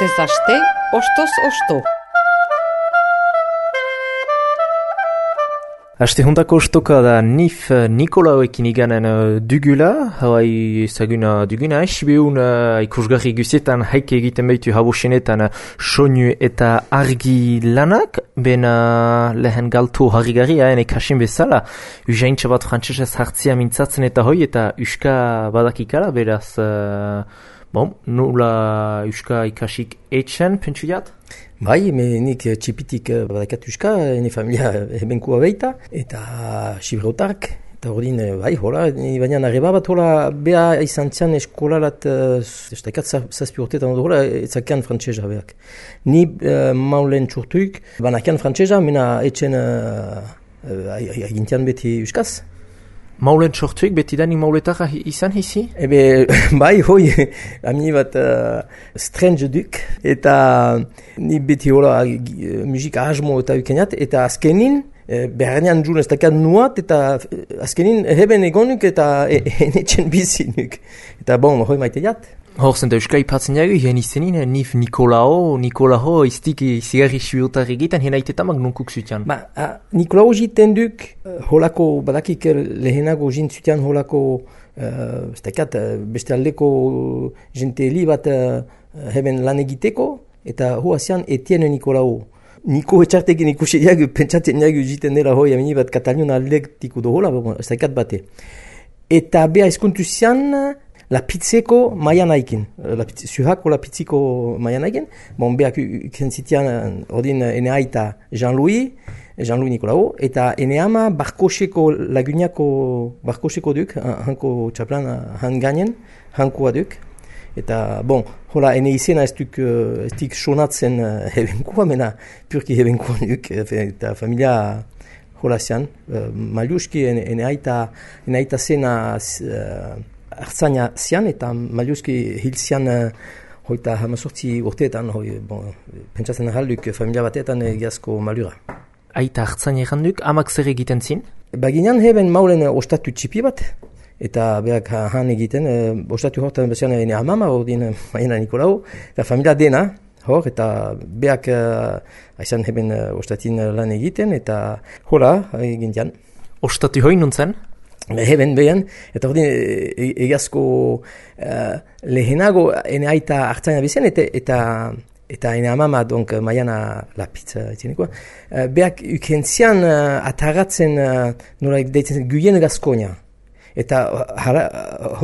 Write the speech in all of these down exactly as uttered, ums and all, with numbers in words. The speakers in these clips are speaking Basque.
Astez aste, ostoz osto. Aste juntako ostoka da nif Nikolaoekin iganen uh, dugula, hauai ezaguna duguna, esibeun uh, ikusgarri guzietan haike egiten behitu habosenetan uh, soinu eta argi lanak, ben uh, lehen galtu harrigarri haen ekasin bezala, usaintza bat frantsesez hartzia mintzatzen eta hoi eta uska badakikala, beraz, uh, bon, nula uska ikasik etxen, pentsu jat? Bai, me nik txipitik badakat uska, ene familia hebenkua beita, eta xibrotark, eta hori bai, hola, baina arreba bat hola, beha izan txan eskolarat, ez dakat zazpi urtetan hori, hola, etzakean frantsesa beak. Ni uh, maulen txurtuik, banakean frantsesa, mena etxen uh, agintian beti uskaz. Maulen sortuik, beti da ni mauletara izan hizi? Ebe, bai, hoi, amini bat uh, strange duk, eta ni beti hola uh, musika asmo eta ukeniat, eta azkenin, uh, beharnean jun ez dakat nuat, eta azkenin heben egonuk eta e, enetxen bizinuk. Eta bon, hoi maite jat. Hor zen da euska ipatzen jagu, hien izenin, nif Nikolao, Nikolao iztik zigarri suiotar egiten, hien aitetamak nunkuk zutian. Ba, a, Nikolao jiten duk, uh, holako, badakik lehenago jint zutian holako, uh, ez dakat, beste aldeko jente li bat uh, heben lan egiteko, eta hoa zian Etienne Nikolao. Niko etxartekin ikusi jagu, pentsatzen jagu jiten dela hoi, amini bat Katalion aldektiko do hola, ez dakat bate. Eta beha eskuntu zian, la pizzeko maianaikin, la zuhako la pizziko maianaikin, bon, beak ukentzitian ordin ene aita Jean-Louis, Jean-Louis Nikolao, eta ene ama barkoseko laguniako barkoseko duk, hanko txaplan han gainen, hankoa duk, eta bon, hola, ene izena ez duk, ez dik sonatzen hebenkoa, mena purki hebenkoa duk, eta familia hola zian, maliuski ene, ene aita, ene aita zena uh, hartzaina zian, eta maliuski hil zian uh, hoita hamazortzi urteetan, hoi, bon, pentsatzen ahalduk familia batetan egiazko malura. Aita hartzaina eganduk, amak zer egiten zin? Baginan heben maulen uh, ostatu txipi bat, eta beak han egiten, uh, ostatu hortan bezian ene amama, ordin uh, maina Nikolau, eta familia dena, hor, eta beak uh, aizan heben uh, ostatin lan egiten, eta hola, egin dian. Ostatu hoi nuntzen? Heben behan, eta hori egazko uh, lehenago ene aita hartzaina bizen, eta, eta, eta ene amama, donk, maiana la pizza, etxenekoa, uh, beak ukentzian uh, ataratzen, uh, nola deitzen, guien gazkonia. Eta hara,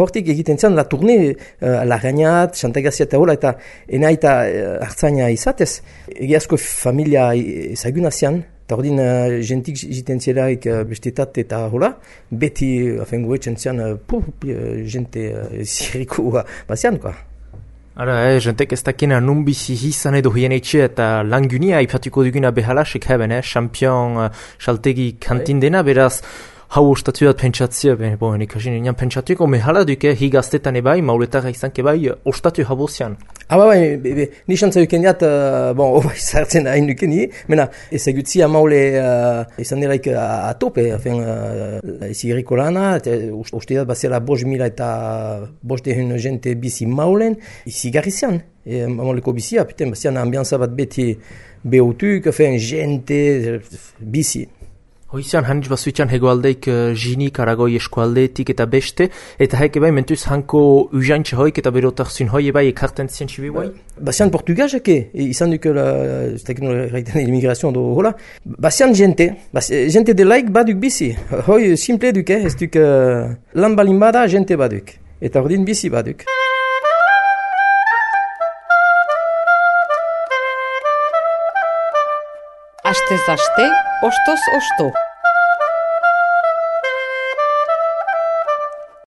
hortik egiten zen la turne, uh, la gainat, xantagazia eta hola, eta ene aita uh, hartzaina izatez, egazko familia ezaguna zian, eta hori uh, jentik jiten zielarik uh, bestetat eta hola, beti afengo etxen zian, uh, pu, uh, jente uh, ziriko uh, bazian, koa. Ara, eh, jentek ez dakena nun bizi izan edo hien etxe eta langunia ipatuko duguna behalasek heben, eh, champion, uh, saltegi kantin dena, beraz, hau ostatuat pentsatzea, ben, bon, ikasin enean pentsatuko, mehala duke, higaztetan ebai, mauletara izan kebai, ostatu habozian. Aba bai, be, be, ni xantza duken diat, uh, bon, oba izartzen hain duken ni, mena, ezagutzia maule uh, izan delaik uh, atope, afen, uh, izigiriko lana, uste dat bazela bost mila eta bost dehun jente bizi maulen, izigarri zian, e, mauleko bizia, puten, bazian ambianza bat beti behotuk, afen, jente, bizi. Hoizian, hanitz bazuitxan hegoaldeik uh, jinik, aragoi eskualdeetik eta beste, eta haik ebai mentuz hanko ujaintxe hoik eta berotak zun hoi ebai ekarten zien txibi bai? Bazian portugazak, izan duk la, ez dakit nola gaiten immigrazioan do hola, bazian jente, baz, jente delaik baduk bizi, hoi simple duk, ez duk uh, lan balin bada jente baduk, eta ordin bizi baduk. Astez aste, ostoz osto.